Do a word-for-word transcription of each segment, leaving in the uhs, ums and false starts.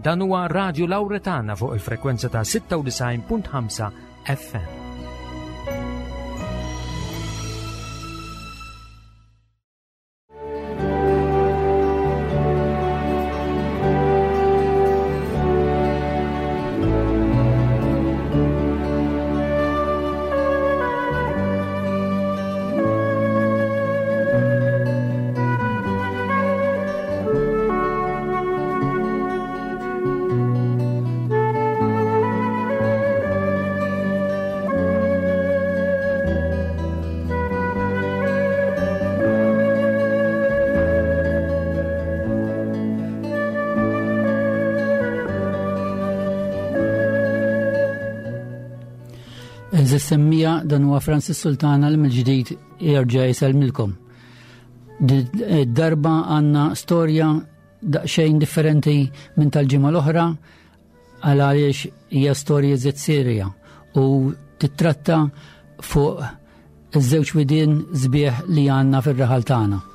Dan huwa Radio Lauretana fuq il-frekwenza ta' sitta u disgħin punt ħamsa F M. Għeżież semmiegħa, dan huwa Francis Sultana li mill-ġdid jerġa' jsellmilkom. Darba għandna storja daqsxejn differenti minn tal-ġimgħa l-oħra, għal għaliex hija storja żed serja u titratta fuq iż-żewġ widien sbieħ li għandna fir-raħal tagħna.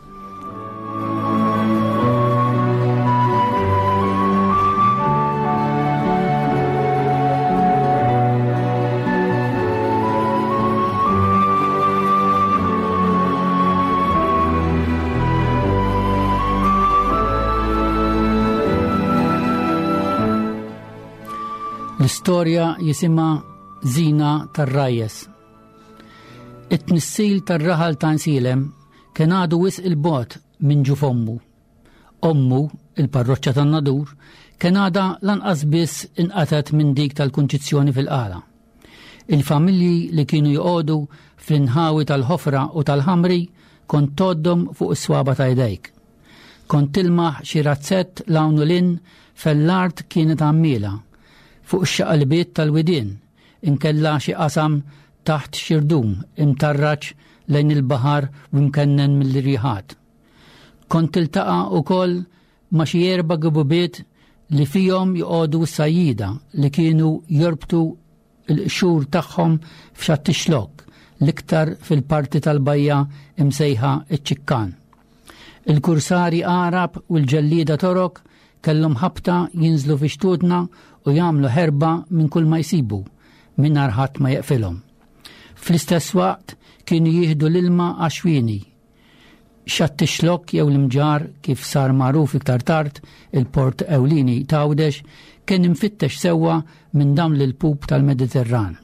L-istorja jisimha Zina tar-Rajjes. It-tnissil tar-raħal ta' Għajnsielem kien għadu wisq il-bogħod minn ġuf ommu. Ommu, il-parroċċa tan-Nadur, kien għadha lanqas biss inqatat minn dik tal-Kunċizzjoni fil-Qala. Il-familji li kienu joqogħdu fl-inħawi tal-Ħofra u tal-Ħamri kont tgħoddhom fuq is-swaba ta' jdejk. Kont tilmaħ xi razzett 'l hawn u 'l hinn fejn l-art kienet għammiela fuq ix-xaqalbiet tal-widien, inkella xi qasam taħt xi rdum imtarraġ lejn il-baħar u mkennen mill-riħat. Kont tiltaqa' ukoll ma' xi erba' gibubiet li fihom joqogħdu s-sajjida li kienu jorbtu l-qxur tagħhom f'xatt ix-Xlokk, l-iktar fil-parti tal-bajja imsejħa iċ-Ċikkan. Il-kursari Arab u l-ġellida Torok kellhom ħabta jinżlu fi xtutna u jagħmlu ħerba minn kull ma jsibu mingħajr ħadd ma jeqfilhom. Fl-istess waqt kienu jieħdu l-ilma għax-xwieni. Xatt ix-Xlokk jew l-Imġarr, kif sar magħruf iktar tard, il-port ewlieni t'Għawdex, kien imfittex sewwa minn dawn l-ilpup tal-Mediterran.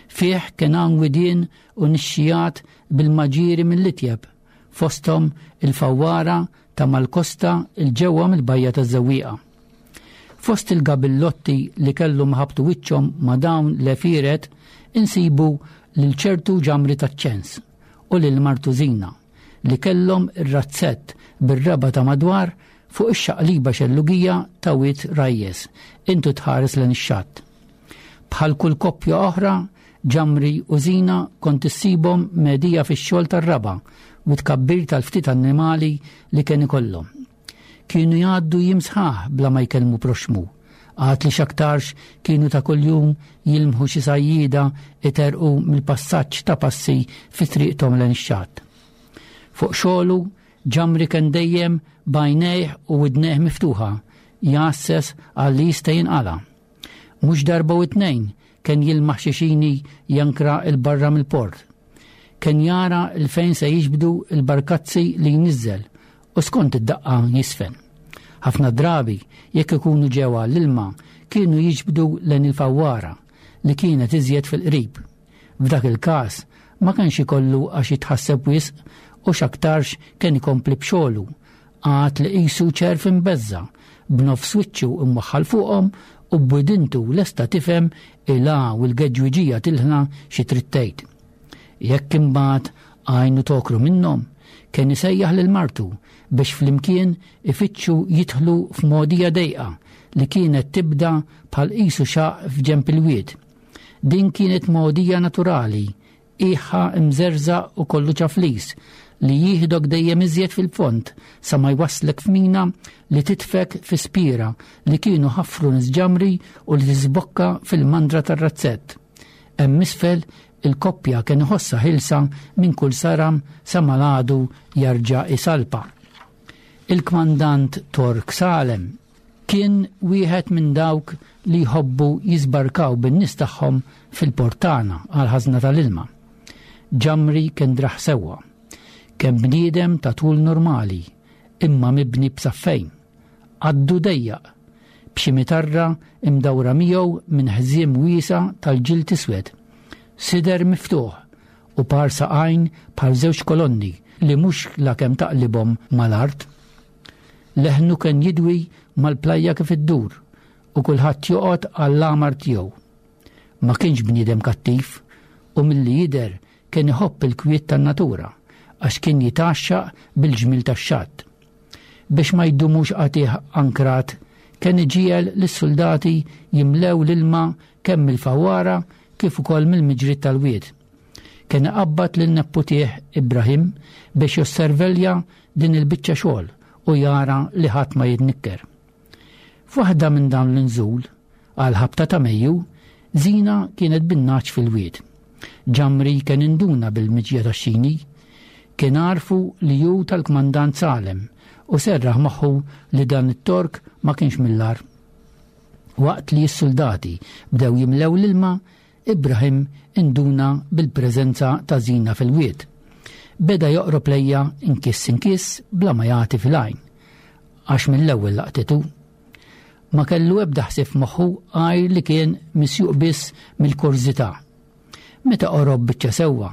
Fih kien hawn widien u nixxijat bil-maġiri mill-itjeb, fosthom il-Fawwara ta' mal-kosta 'l ġewwa mill-bajja taż-Żewwieqa. Fost il-gabillotti li kellhom ħabtu wiċċhom ma' dawn l-għefieret insibu lil ċertu Ġamri taċ-Ċens u lil martu Zina li kellhom ir-razzett bir-raba ta' madwar fuq ix-xaqliba xellugija ta' Wied Rajjes, intu tħares lejn ix-xatt. Bħal kull koppja oħra, Ġamri u Zina kont issibhom medija fix-xogħol tar-raba u tkabbir tal-ftit annimali li kien ikollhom. Kienu jgħaddu jiem sħaħ bla ma jkellmu proxmu. Għad li x'aktarx kienu ta' kuljum jilmħu xi sajjida iterqu mill-passaġġ ta' passi fi triqthom lejn ix-xatt. Fuq xogħlu Ġamri kien dejjem b'għajnejh u widnejh miftuħa, jgħasses għal li jista' jinqala. Mhux darba u tnejn kien jilmaħ xi xini jankra 'l barra mill-port. Kien jara 'l fejn se jiġbdu il-barkazzi li jniżżel u skont id-daqqa jisfen. Ħafna drabi, jekk ikunu ġewwa l-ilma, kienu jiġbdu lejn il-Fawwara li kienet iżjed fil-qrib. F'dak il-każ ma kienx ikollu għax jitħasseb wisq u x'aktarx kien ikompli b'xogħlu, għad li qisu ċerv imbeżża', b'nofs wiċċu imwaħħal fuqhom u b'widintu lesta tifhem il u l-geġwiġija tilħna xi trid tgħid. Jekk imbagħad għajnu tokru minnhom, kien isejjaħ lil martu biex flimkien ifittxu jidħlu f'modija dejqa li kienet tibda bħal qisu xaq f'ġemp il-wied. Din kienet mogħdija naturali, iħa imżerża u kollu ċaflis, li jieħdok dejjem iżjed fil-fond sa ma jwasslek f'mina li titfek fi spira li kienu ħafru nies Ġamri u li tiżbokka fil-mandra tar-razzett. Hemm isfel il-koppja kien iħossha ħielsa minn kull saram sa mal-għadu jarġa' isalpa. Il-kmandant Tork Salem Kien wieħed minn dawk li jħobbu jisbarkaw bin-nies tagħhom fil-portana għal ħażna tal-ilma. Ġamri kien draħ sewwa. Kien bniedem ta' tul normali, imma mibni b'saffejn. Għaddu dejjaq, b'xi mitarra imdawra miegħu minn ħżiem wiesa tal-ġild iswed. Sider miftuħ u par saqajn bħal żewġ kolonni li mhux lakemm taqlibhom mal-art. Leħnu kien jidwi mal-plajja kif iddur u kulħadd joqgħod għall-għamar tiegħu. Ma kienx bniedem kattiv u milli jidher kien iħobb il-kwiet tan-natura għax kien jitgħaxxaq bil-ġmil tax-xatt. Biex ma jdumux qatih ankrat, kien iġiegħel lis-soldati jimlew l-ilma kemm mill-fawwara kif ukoll mill-miġriet tal-wied. Kien iqabbad lil nepputih Ibrahim biex josservelja din il-biċċa xogħol u jara li ħadd ma jitnikker. F'waħda minn dawn l-inżul, għal ħabta ta' Mejju, Zina kienet bin-naċ fil-wied. Ġamri kien induna bil-miġja tax-xini, kien għarfu li hu tal-kmandant Salem u serraħ moħħu li dan it-Tork ma kienx mill-ar. Waqt li s-soldati bdew jimlew l-ilma, Ibrahim induna bil-preżenza ta' Zina fil-wied. Beda joqrob lejja inkiss inkiss bla ma jagħti fil-għajn, għax mill-ewwel laqtitu. Ma kellu ebda ħsieb moħħu għajr li kien misjuq biss mill-kurżità. Meta qorob biċċa sewwa,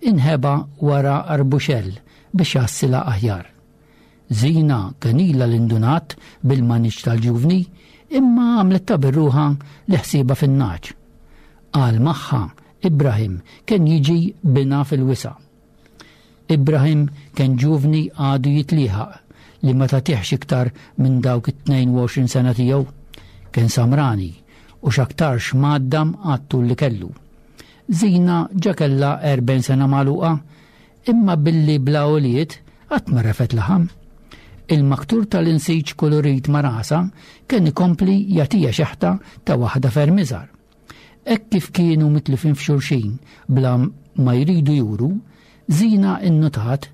inħeba wara arbuxell biex jassila aħjar. Zina kien ilha l-indunat bil-maniġ tal-ġuvni, imma għamlet ta' birruħa li ħsieba fin-naċ. Għal magħha Ibrahim kien jiġi bina fil-wisa. Ibrahim kien ġuvni għadu jitlieħaq li ma tagħtihx iktar minn dawk it-tnejn u għoxrin sena tiegħu. Kien samrani u x'aktarx mgħaddam għat-tul li kellu. Zina ġa kellha erbgħin sena magħluqa, imma billi bla għoliet qatt ma refet laħam. Il-maktur tal-insiġ kolorit ma' rasa kien ikompli jagħtiha xeħta ta' waħda ferm iżgħar. Hekk kif kienu mitlifin f'xulxin bla ma jridu juru, Zina innotat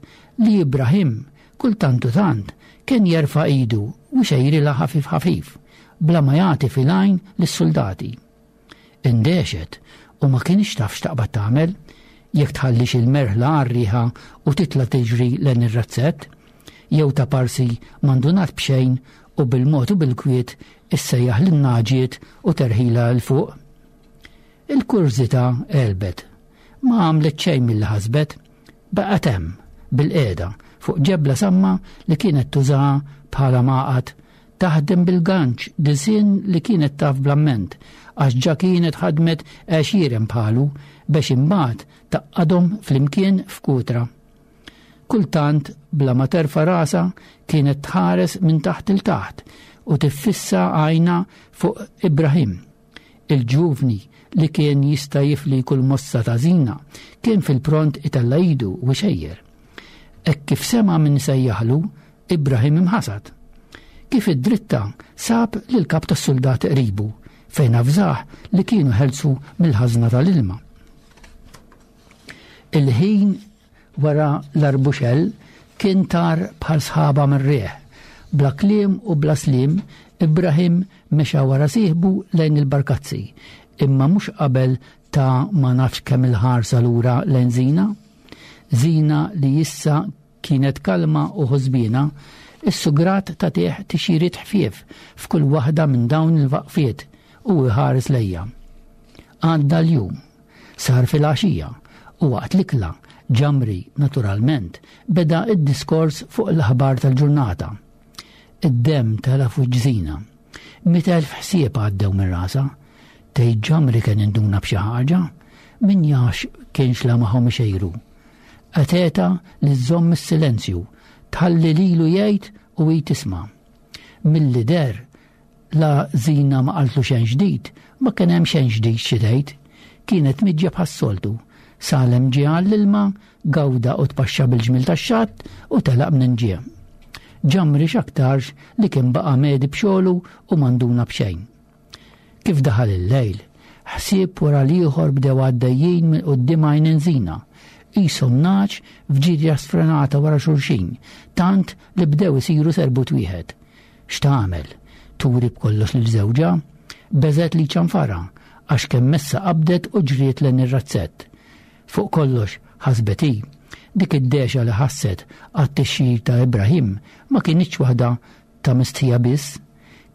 li Ibrahim kultant u tant kien jerfa' idu u xejrilha ħafif ħafif bla ma jagħti fil-għajn lis-soldati. Indexet u ma kienx taf x'taqbad tagħmel, jekk tħallix il-merħla għar-riħa u titla' tiġri lejn ir-razzett, jew ta' parsi mandunat b'xejn u bil-mod u bil-kwiet issejjaħ lin-naġiet u terħila l fuq. Il-kurżità għelbet, ma għamlet xejn milli ħasbet, baqgħet hemm bil-qiegħda fuq ġebla samma li kienet tużaha bħala maqgħad, taħdem bil-ganċ disinn li kienet taf bl-amment, għax ġa kienet ħadmet għexieren bħalu biex imbagħad taqqadhom flimkien f'kutra. Kultant bla ma terfa' rasa kienet tħares minn taħt il taħt u tiffissa għajna fuq Ibrahim. Il-ġuvni li kien jista' jifli kull mossa ta' Zina kien fil-pront itella' idu u xejjer. Hekk kif sema' min sejjaħlu, Ibrahim imħasad. Kif id-dritta sab lil kap tas-soldati qribu fejn avżah li kienu ħelsu mill-ħażna tal-ilma. Il-ħin wara l-arbuxell kien tar bħal sħaba mir-riħ. Bla kliem u bla slim, Ibrahim mexa wara sieħbu lejn il-barkazzi, imma mhux qabel ta' ma nafx kemm il-ħarsa lura lejn Zina. Zina li issa kienet kalma u ħosbina, is-sugrat ta' tieħ tixiriet ħfief f'kull waħda minn dawn il-waqfiet u iħares lejja. Għadda l-jum, sar fil-għaxija u waqt l-ikla Ġamri, naturalment, beda id-diskors fuq l-aħbar tal-ġurnata. Id-dem tela fuq Zina. Mitt elf ħsieb għaddew minn rasa. Tgħid Ġamri kien induna b'xi ħaġa, min jafx kienx la magħhom ixejru. Qateta li żżomm is-silenzju, tħalli lilu jgħid u hi tisma'. Milli der la Zina ma qaltlu xejn ġdid, ma kien hemm xejn ġdid xi tgħid. Kienet miġja bħas-soltu. Salem ġie għall-ilma, gawda u tpaxxa bil-ġmil tax-xatt u telaq minn ġie. Ġamri x'aktarx li kien baqa' medi b'xogħlu u manduna b'xejn. Kif daħal il-lejl, ħsieb wara l-ieħor bdew għaddejjin minn quddiem għajn Zina, qishom naċ f'ġirja sfrenata wara xulxin, tant li bdew isiru serbut wieħed. X'tagħmel? turi b'kollox lil żewġha, beżgħet li ċanfara għax kemm messa qabdet u ġriet lejn ir-razzett. Fuq kollox ħasbet hi, dik id-dexa li ħasset għat-tixjir ta' Ibrahim ma kinitx waħda ta' mistħija biss,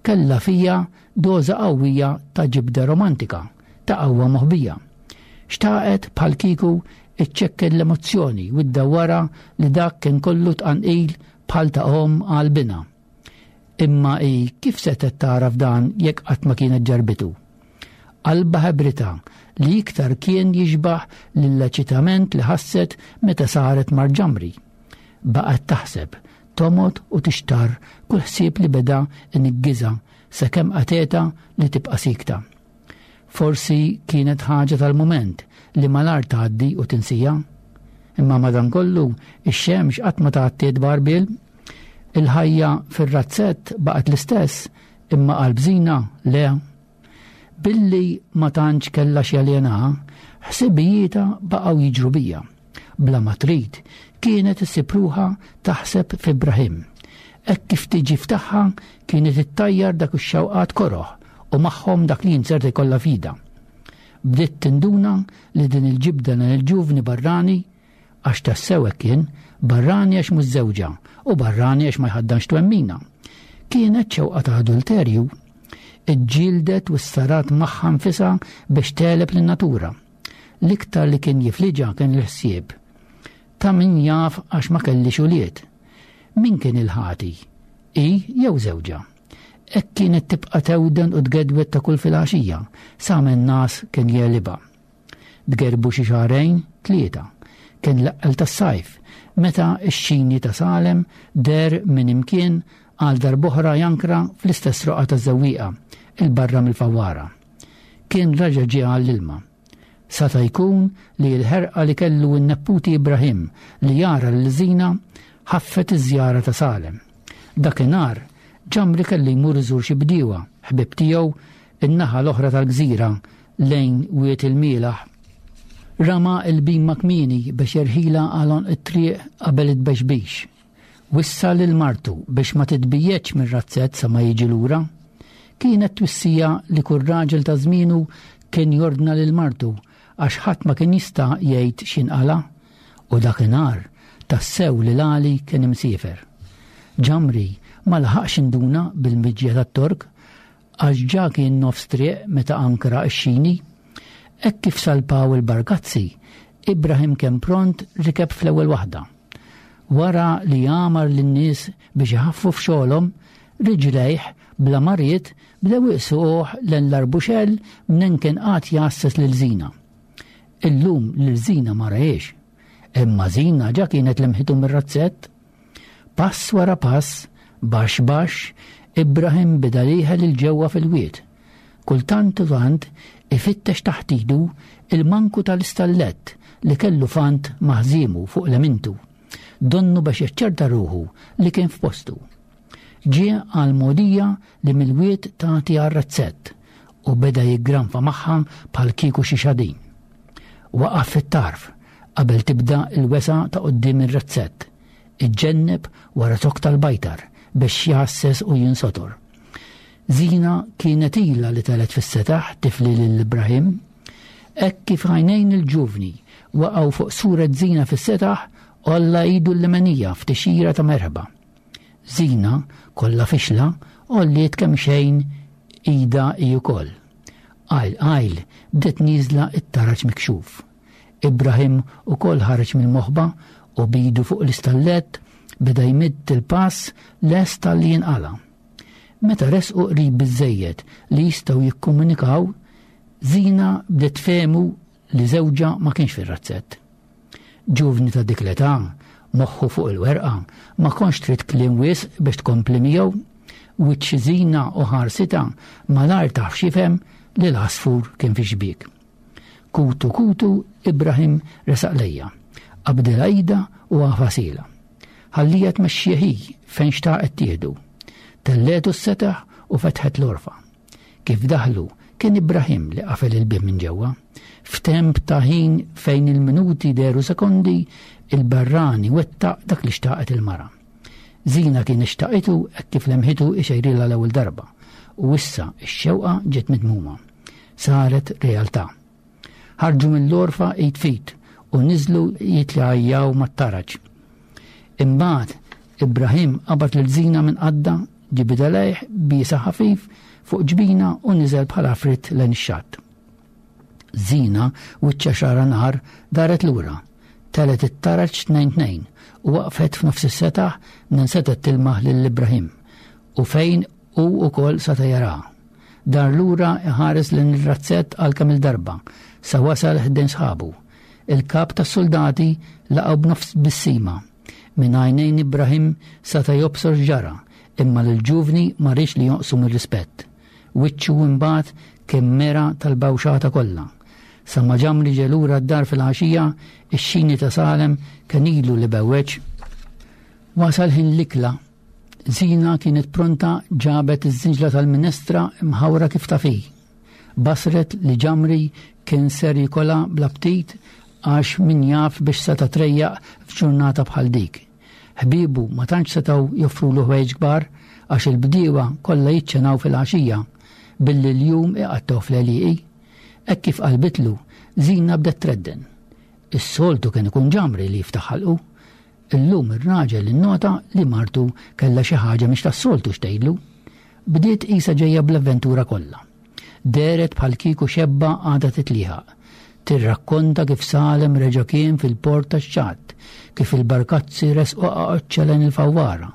kellha fija doża qawwija ta' ġibda romantika, ta' qawwa moħbija. Xtaqet bħal kieku iċċekken l-emozzjoni u ddawwara li dak kien kollu tqanqil bħal ta' omm għal binha. Imma hi kif setgħet tagħraf dan jekk qatt ma kienet ġarbitu? Qalbha ħebritha li iktar kien jixbaħ lill-eċitament li ħasset meta saret marġamri. Baqgħet taħseb, tomgħod u tixtar kull ħsieb li beda iniggiżha sakemm qatgħetha li tibqa' sikta. Forsi kienet ħaġa tal-mument li malar tgħaddi u tinsija. Imma madankollu ix-xemx qatt ma tgħattiet b'għarbiel. Il-ħajja fir-razzett baqgħet l-istess, imma qalb Zina le. Billi ma tantx kellha x'jaljenaha, ħsibijietha baqgħu jiġru bija. Bla ma trid, kienet issib ruħha taħseb f'Ibrahim. Hekk kif tiġi ftaħħa kienet ittajjar dak ix-xewqat koroh u magħhom dak li jinzerta jkollha fida. Bdiet tinduna li din il-ġibda lejn il-ġuvni barrani, għax tassew hekk kien, barrani għax mhux żewġha u barrani għax ma jħaddanx twemmina. Kienet xewqa ta' adulterju. Iġġieldet u ssarat magħha nfisha biex tegħleb lin-natura. L-iktar li kien jifliġa kien il-ħsieb. Ta' min jaf għax ma kellix ulied. Min kien il-ħati? Hi jew żewġha? Hekk kienet tibqa' tewden u tgedwet ta' kull filgħaxija, sa minn nas kien jegħlibha. Tgerbu xi xahrejn, tlieta. Kien l-eqqel tas-sajf, meta x-xini ta' Salem der minn imkien għal darb'oħra jankra fl-istess roqgħa taż-żewwieqa, il-barra mill-fawwara. Kien raġa' ġie għall-ilma. Sata jkun li l-ħerqa li kellu n-nepputi Ibrahim li jara lil Zina ħaffet iż-żjara ta' Salem. Dakinhar Ġamri kellu jmur iżur xi bdiewa, ħbieb tiegħu, in-naħa l-oħra tal-gżira lejn Wied il-Mielaħ. Rama l-bima kmieni biex jerħilha għal għonq it-triq qabel it-tbexbix. Wissa lil martu biex ma titbijjeġ mir-razzett sa ma jiġi lura. Kienet twissija li kull raġel ta' żmienu kien jordna lil martu għax ħadd ma kien jista' jgħid x'inqala', u dakinhar tassew li l-għali kien imsiefer. Ġamri ma laħaqx induna bil-miġja tat-Tork għax ġa kien nofs triq meta ankra x-xini. Hekk kif salpaw il-bargazzi, Ibrahim kien pront rikeb fl-ewwel waħda. Wara li għamar lin-nies biex iħaffu f'xogħolhom, riġlejh bla ma ried bdew iqsuh lejn l-arbuxell minn kien qatt jgħasses lil Zina. Illum lil Zina ma rahiex, imma Zina ġa kienet lemħitu mir-razzett. Pass wara pass, baxx baxx, Ibrahim beda liħel il-ġewwa fil-wied. Kultant u tant ifittex taħt idu il-manku tal-istallett li kellu fant maħżimu fuq lemintu, donnu biex jaċċerta ruħu li kien f'postu. Ġie għal mogħdija li mill-wied tagħti għar-razzett u beda jiggranfa magħha bħal kieku xi xadin. Waqaf fit-tarf qabel tibda l-wesa ta' quddiem ir-razzett, iġġenneb wara zokk tal-bajtar biex jgħasses u jinsotor. Zina kienet ilha li telet fis-setaħ tifli lil Ibrahim. Hekk kif għajnejn il-ġuvni waqgħu fuq suret Zina fis-setaħ, għolla idu l-lemenija f'tixira ta' merħba. Zina, kollha fixla, għolliet kemm xejn ida hi wkoll. Qajl qajl bdiet nieżla t-taraġ mikxuf. Ibrahim ukoll ħareġ mill-moħba u bidu fuq l-istallett beda jmidd il-pass lest tal-li jinqala. Meta resqu qrib biżżejjed li jistgħu jikkomunikaw, Zina bdiet tfehmu li żewġha ma kienx fir-razzett. Ġuvni ta' dik l-età, moħħu fuq il-werqa, ma kontx trid kliem wisq biex tkompli miegħu. Wiċċ Zina u ħarsitha malajr taf x'jifhem li l-għasfur kien fi xbiek. Kutu kutu Ibrahim resaq lejja, qabdilha idha u għafasila. Ħallija tmexxih hi fejn xtaqet tieħdu. Telletu s-setaħ u fetħet l-orfa. Kif daħlu kien Ibrahim li qafel il-bieb minn ġewwa. F'temp ta' ħin fejn il-minuti deru sekondi, il-barrani wettaq dak li xtaqet il-mara. Zina kien xtaqitu hekk kif lemħitu ixejrilha l-ewwel darba. U issa x-xewqa ġiet mitmuma. Saret realtà. Ħarġu mill-għorfa id f'id u niżlu jitlajjaw mat-taraġ. Imbagħad Ibrahim qabad lil Zina minn qaddha, ġibidha lejh, biesha ħafif fuq ġbinha u niżel bħala fritt lejn ix-xatt. Zina, wiċċha xagħra nar, daret lura. Telgħet it-taraġ tnejn tnejn u waqfet f'nofs is-setaħ minn setgħet tilmaħ lil Ibrahim u fejn hu wkoll seta' jaraha. Dar lura iħares lejn ir-razzett għal kemm il-darba sa wasal ħdejn sħabu. Il-kap tas-soldati laqgħu b'nofs tbissima. Minn għajnejn Ibrahim seta' jobsor x'ġara, imma lill-ġuvni ma riedx li jonqsu mir-rispett. Wiċċu imbagħad kien mera tal-bawxata kollha. Sa ma Ġamri ġie lura d-dar fil-għaxija, ix-xini ta' Salem kien ilu li bewweġ. Wasal ħin l-ikla. Zina kienet pronta, ġabet iż-żinġla tal-minestra imħawra kif taf hi. Basret li Ġamri kien ser jikolha bl-aptit għax min jaf biex seta' trejjaq f'ġurnata bħal dik. Ħbiebu ma tantx setgħu joffrulu ħwejjeġ kbar għax il-bdiewa kollha jiċċenaw fil-għaxija billi l-jum iqattgħu fl-għelieqi. Hekk kif qalbitlu, Zina bdet tredden. Is-soltu kien ikun Ġamri li jiftaħ ħalqu. Illum ir-raġel innota li martu kellha xi ħaġa mhix tas-soltu x'tgħidlu. Bdiet qisha ġejja bl-avventura kollha. Dehret bħal kieku xebba għadha titlieħaq. Tirrakkonta kif Salem reġa' kien fil-port tax-xatt, kif il-barkazzi resqu qaqoċċa lejn il-fawwara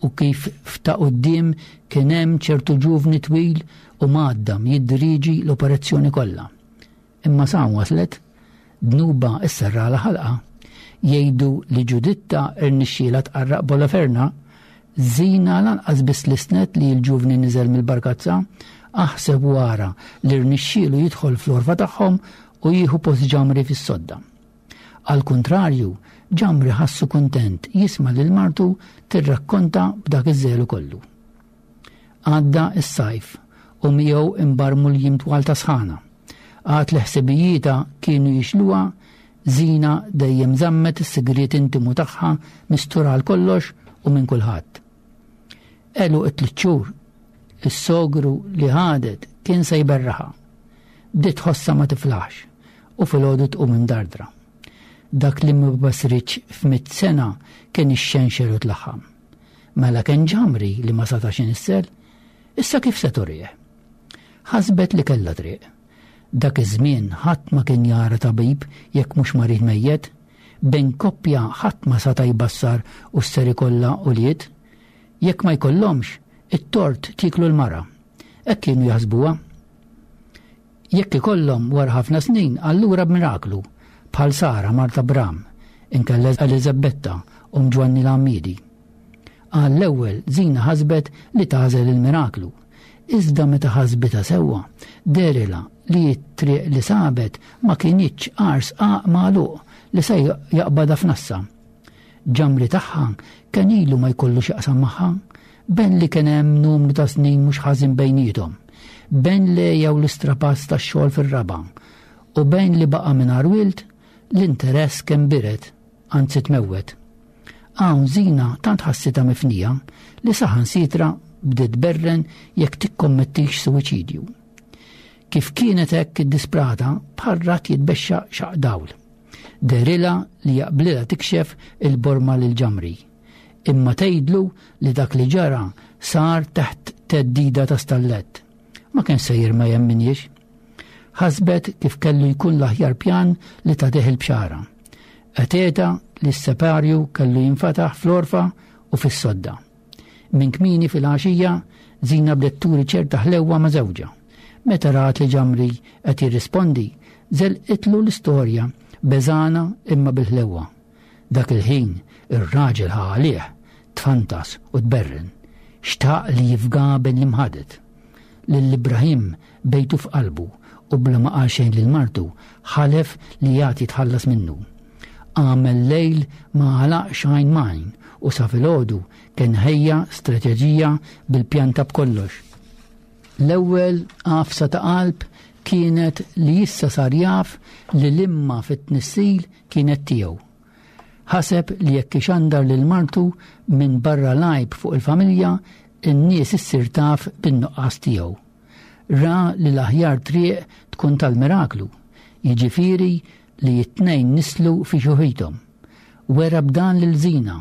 u kif f'ta' quddiem kien hemm ċertu ġuvni twil u mgħaddam jiddiriġi l-operazzjoni kollha. Imma sa waslet, dnuba isserrala ħalqa. Jgħidu li Ġuditta irnixxiela tqarraq b'Oloferna. Zina lanqas biss lissnet li l-ġuvni niżel mill-barkazza, aħseb wara li rnixxielu jidħol fl-għorfa tagħhom u jieħu post Ġamri fis-sodda. Al kuntrarju, Ġamri ħassu kuntent jisma' lil martu tirrakkonta b'dak iż-żelu kollu. Għadda s-sajf u miegħu imbarmu l-jiem twal ta' sħana. Għad li ħsibijietha kienu jixluha, Zina dejjem żammet is-sigriet intimu tagħha mistura għal kollox u minn kulħadd. Għeluq it-tliet xhur, is-sogru li ħadet kien se jberraħha. Bdiet tħossha ma tiflaħx u filgħodu tqum imdardra. Dak li ma basritx f'mitt sena kien ixxenxer u tlaħħam. Mela kien Ġamri li ma setax inissel, issa kif se turih? Ħasbet li kellha triq. Dak iż-żmien ħadd ma kien jara tabib jekk mhux marid mejjet, bejn koppja ħadd ma seta' jbassar u ser ikollha ulied. Jekk ma jkollhomx, it-tort tieklu l-mara. Hekk kienu jaħsbuha. Jekk ikollhom wara ħafna snin, allura b'miraklu, bħal Sara mart Abram, inkella Eliżabetta omm Ġwanni l-Għammiedi. Għall-ewwel Zina ħasbet li tagħżel il-miraklu. Iżda meta ħasbitha sewwa, dehrilha li t-triq li sabet ma kinitx għar sqaq magħluq li se jaqbadha f'nassa. Ġamri tagħha kien ilu ma jkollu x'jaqsam magħha, ben li kien hemm numru ta' snin mhux ħażin bejniethom, ben li jew l-istrapazz tax-xogħol fir-raba', u bejn li baqa' mingħajr wild, l-interess kien bired, anzi tmewwet. Hawn Zina tant ħassitha mifnija li saħansitra bdiet berren jekk tikkommettix suwiċidju. Kif kienet hekk iddisprata, bħal rat jitbexxa xaq dawl. Dehrilha li jaqblilha tikxef il-borma lil Ġamri. Imma tgħidlu li dak li ġara sar taħt theddida ta' stallett. Ma kien sejjer ma jemminhiex. Ħasbet kif kellu jkun l-aħjar pjan li tagħtih il-bxara. Għeteta li s-separju kellu jinfataħ fl-għorfa u fis-sodda. Minn kmieni fil-għaxija, Zina bdiet turi ċerta ħlewwa ma' żewġha. Meta rat li Ġamri qed jirrispondi, żelqitlu l-istorja beżana imma bil-ħlewwa. Dak il-ħin ir-raġel ħa għalih, tfantas u tberren. Xtaq li jifga bejn l-imħadet. Lil Ibrahim bejtu f'qalbu u bla ma qal xejn lil martu ħalef li jagħti jitħallas minnu. Għamel lejl ma għalaqx għajn m'għajn u sa filgħodu kien ħejja strateġija bil-pjanta b'kollox. L-ewwel għafsa ta' qalb kienet li issa sar jaf li l-imma fit-tnissil kienet tiegħu. Ħaseb li jekk ixandar lil martu minn barra lajb fuq il-familja, in-nies issir taf bin-nuqqas tiegħu. Ra li l-aħjar triq tkun tal-miraklu, jiġifieri li t-tnejn nislu fi xjuħithom. Wera b'dan lil Żina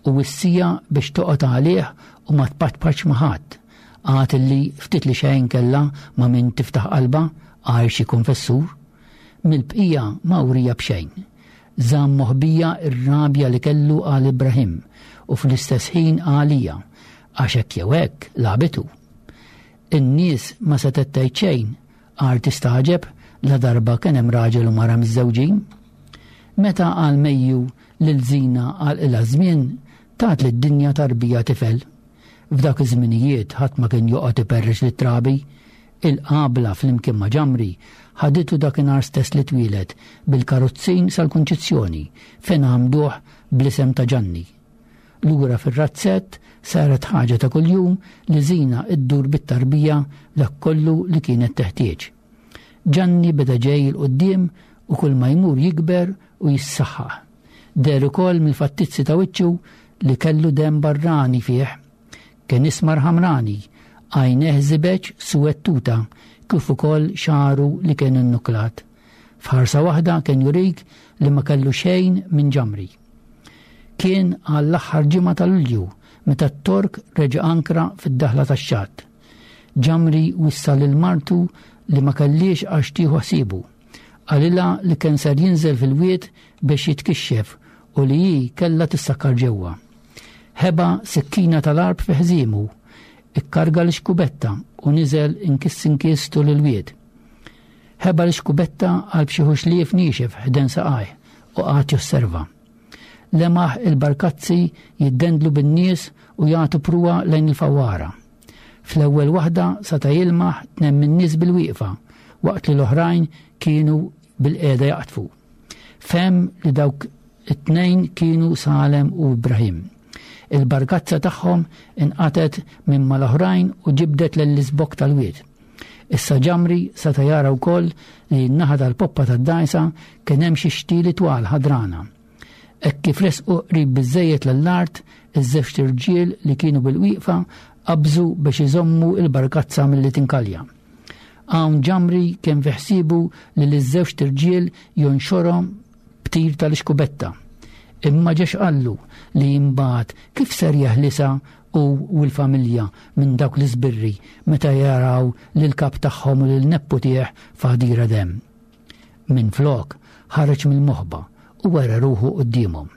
u wissieha biex toqgħod għalih u ma tpaċpaċ ma' ħadd. Għad li ftit li xejn kellha ma' min tiftaħ qalbha għajr xi konfessur. Mill-bqija ma wrieha b'xejn. Żamm moħbija r-rabja li kellu għal Ibrahim u fl-istess ħin għalija, għax hekk jew hekk lagħbitu. In-nies ma setgħet tgħid xejn għar tistagħġeb la darba kien hemm raġel u mara miżżewġin. Meta għal Mejju lil Żina għal żmien tat lid-dinja tarbija tifel. F'dak iż-żminijiet ħadd ma kien joqgħod iperrex lit-trabi. Il-qabla flimkien ma' Ġamri ħaditu dakinhar stess li twieled bil-karozzin sal-Kunċizzjoni fejn għamduh bl-isem ta' Ġanni. Lura fir-razzett saret ħaġa ta' kuljum li Żina iddur bit-tarbija dak kollu li kienet teħtieġ. Ġanni beda ġej 'il quddiem u kull ma jmur jikber u jissaħħaħ. Deher ukoll mill-fattizzi ta' wiċċu li kellu demm barrani fih. Kien ismar ħamrani, għajnejh żibeġ suwed tuta, kif ukoll xagħru li kien innuklat. F'ħarsa waħda kien jurik li ma kellu xejn minn Ġamri. Kien għall-aħħar ġimgħa ta' Lulju meta t-Tork reġa' ankra fid-daħla tax-xatt. Ġamri wissa lil martu li ma kellix għax tieħu ħsiebu. Qalilha li kien ser jinżel fil-wied biex jitkixxef u li hi kellha tissakkar ġewwa. Ħeba sikkina tal-għarb fi ħżiemu, ikkarga l-xkubetta u niżel inkiss inkiss tul il-wied. Ħeba l-xkubetta għal b'xi ħuxlief niexef ħdejn saqajh u qagħad josserva. Lemaħ il-barkazzi jiddendlu bin-nies u jagħtu pruwa lejn il-fawwara. Fl-ewwel waħda seta' jilmaħ tnejn min-nies bil-wieqfa waqt li l-oħrajn kienu bil-qiegħda jaqtfu. Fehem li dawk it-tnejn kienu Salem u Ibrahim. Il-barkazza tagħhom inqatet minn mal-oħrajn u ġibdet lill-iżbokk tal-wied. Issa Ġamri seta' jara wkoll li n-naħa tal-poppa tad-dgħajsa kien hemm xi xtieli twal ħadrana. Hekk kif resqu qrib biżejjed lill-art, iż-żewġt irġiel li kienu bil-wieqfa qabżu biex iżommu il-barkazza milli tinkalja. Hawn Ġamri kien fi ħsiebu li liż-żewġt irġiel jonxorhom b'tir tal-iskubetta. Imma ġex qallu li imbagħad kif ser jeħlisa u u l-familja minn dawk l-iżbirri meta jaraw lil kap tagħhom u lil nepputih f'għadira demm. Minflok ħareġ mill-moħba u wera ruħu quddiemhom.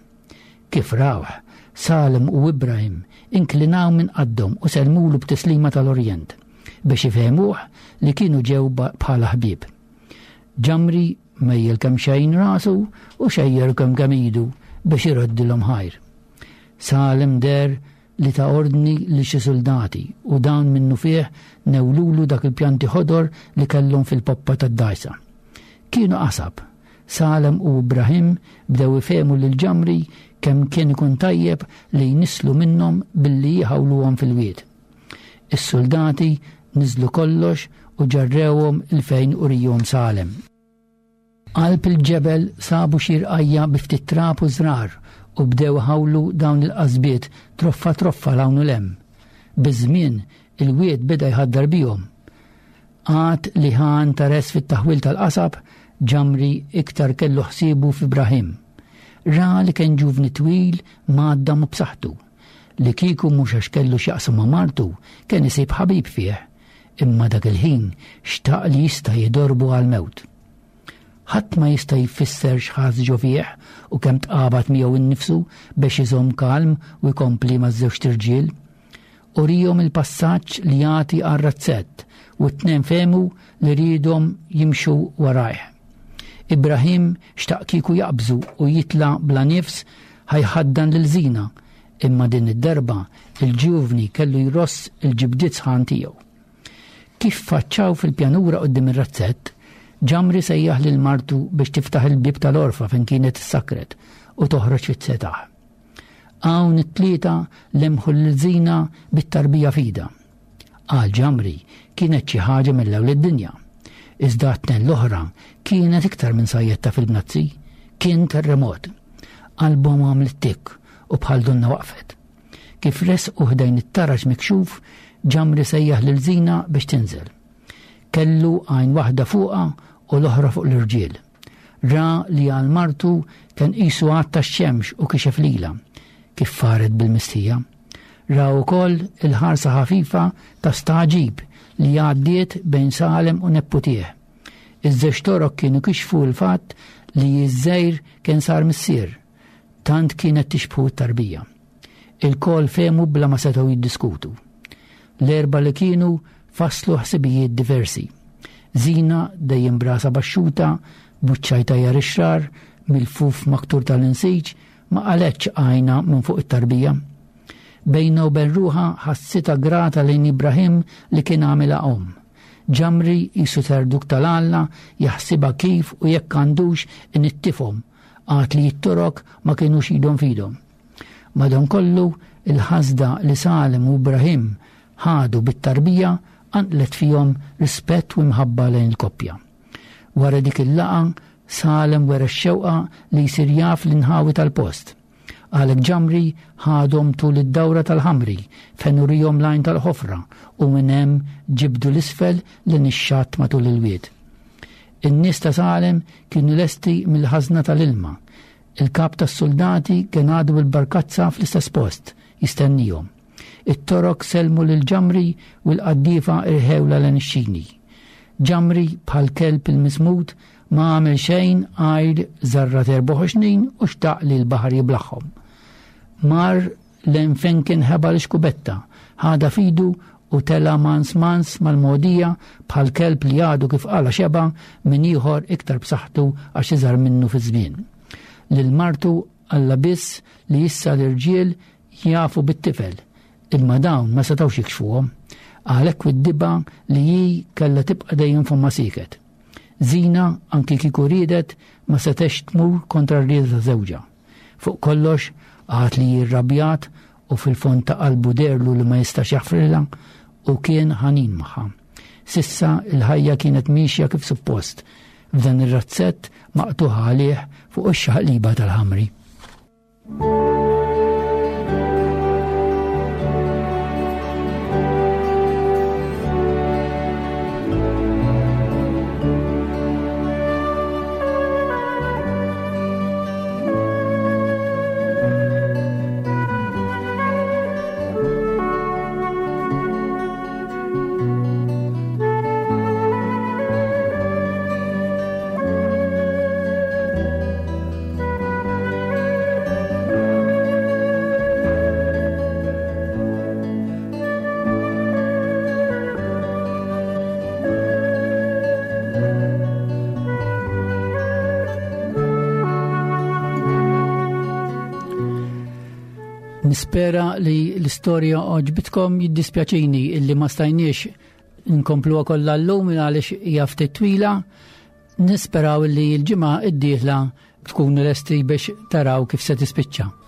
Kif rawh, Salem u Ibrahim inklinaw minn qaddhom u sellmulu b'tislima tal-Orjent biex ifehmuh li kienu ġew bħala ħbieb. Ġamri mejjel kemm xejn rasu u xejjer kemm kemm idu biex iroddilhom ħajr. Salem deher li ta ordni li xi soldati u dawn minnu fih newlulu dak il-pjanti ħodor li kellhom fil-poppa tad-dgħajsa. Kienu qasab. Salem u Ibrahim bdew ifehmu lil Ġamri kemm kien ikun tajjeb li jnislu minnhom billi jħawluhom fil-wied. Is-soldati niżlu kollox u ġarrewhom 'il fejn urihom Salem. Qalb il-ġebel sabu xi rqajja bi ftit trab u żrar u bdew ħawlu dawn il-qasbiet troffa troffa 'l hawn u 'l hemm. Biż-żmien il-wied beda jħaddar bihom. Għad li ħa interess fit-taħwil tal-qasab, Ġamri iktar kellu ħsiebu f'Ibrahim. Ra li kien ġuvni twil mgħaddam u b'saħħtu. Li kieku mhux għax kellu x'jaqsam ma' martu, kien isib ħabib fih. Imma dak il-ħin xtaq li jista' jidorbu għal-mewt. Ħadd ma jista' jfisser x'ħass ġo fih u kemm tqabad miegħu innifsu biex iżomm kalm u jkompli maż-żewġt irġiel. Urihom il-passaġġ li jagħti għar-razzett u t-tnejn fehmu li riedhom jimxu warajh. Ibrahim xtaq kieku jaqbżu u jitla' bla nifs ħajħaddan lil Żina, imma din id-darba il-ġuvni kellu jross il-ġibdiet sħan tiegħu. Kif faċċaw fil-pjanura quddiem ir-razzett, Ġamri sejjaħ lil martu biex tiftaħ il-bieb tal-orfa fejn kienet issakret u toħroġ fit-setaħ. Hawn it-tlieta lemħu lil Żina bit-tarbija f'idha. Għal Ġamri kienet xi ħaġa mill-ewwel id-dinja. Iżda t-tnejn l-oħra kienet iktar minn sajjetta fil-bnazzi, kien terremot. Qalbhom għamlet tik u bħal donna waqfet. Kif resqu ħdejn it-taraġ mikxuf, Ġamri sejjaħ lil Zina biex tinżel. Kellu għajn waħda fuqha u l-oħra fuq l-irġiel. Ra li għal martu kien qisu għatta x-xemx u kixef lilha, kif faret bil-mistija. Ra wkoll il-ħarsa ħafifa ta' staġib li għaddiet bejn Salem u nepputih. Iż-żewġ torok kienu kixfu l-fatt li ż-żejr kien sar missier, tant kienet tixbħu t-tarbija. Il-kol fehmu bla ma setgħu jiddiskutu. L-erba li kienu faslu ħsibijiet diversi. Zina dejjem brasa baxxuta, buċċajta jar ix-xrar, mill-fuf maktur tal-insiġ, ma qaletx għajna minn fuq it-tarbija. Bejna u bejn ruħha ħassitha grata lejn Ibrahim li kien għamilha omm. Ġamri jisu terduk tal-Alla jaħsibha kif u jekk għandux inittifhom, għad li jittorok ma kienux idhom fidhom. Madankollu il-ħasda li Salem u Ibrahim ħadu bit-tarbija qanqlet fihom rispett u imħabba lejn il-koppja. Wara dik il-laqgħa Salem wera x-xewqa li jsir jaf l-inħawi tal-post. Għalhekk Ġamri ħadhom tul id-dawra tal-ħamri fejn urihom l-għajn tal-ħofra u minn hemm ġibdu l-isfel lejn ix-xatt matul il-wied. In-nies ta' Salem kienu lesti mill-ħażna tal-ilma. Il-kap tas-soldati kien għadu bil-barkazza fl-istess post jistennihom. It-torok selmu lil Ġamri u l-qaddiefa irħewla lejn ix-xini. Ġamri bħal kelb il-mismut ma għamel xejn għajr żarra erbuħ xnin u xtaq li l-baħar jiblaħħom. Mar lejn fejn kien ħeba l-xkubetta, ħada fidu u tela mans mans mal-modija bħal kelb li għadu kif qala xeba minn ieħor iktar b'saħħtu għax iżgħar minnu fi żmien. Lil martu Alla biss li issa l-irġiel jafu bit-tifel, imma dawn ma setgħux jikxfuhom. Għalhekk id-diba li hi kellha tibqa' dejjem fomma sieket. Zina anki kieku riedet ma setgħex tmur kontra r-rieda ta' żewġha. Fuq kollox għad li jirrabjat u fil-fond ta' qalbu derlu li ma jistax jaħfrilha u kien ħanin magħha. Sissa il-ħajja kienet miexja kif suppost f'dan ir-razzett maqtuħa għalih fuq ix-xaqliba tal-ħamri. Nispera li l-istorja għoġbitkom. Jiddispjaċini illi ma stajniex nkompluha kollha llum għaliex hija ftit twila. Nisperaw li l-ġimgħa d-dieħla tkunu lesti biex taraw kif se tispiċċa.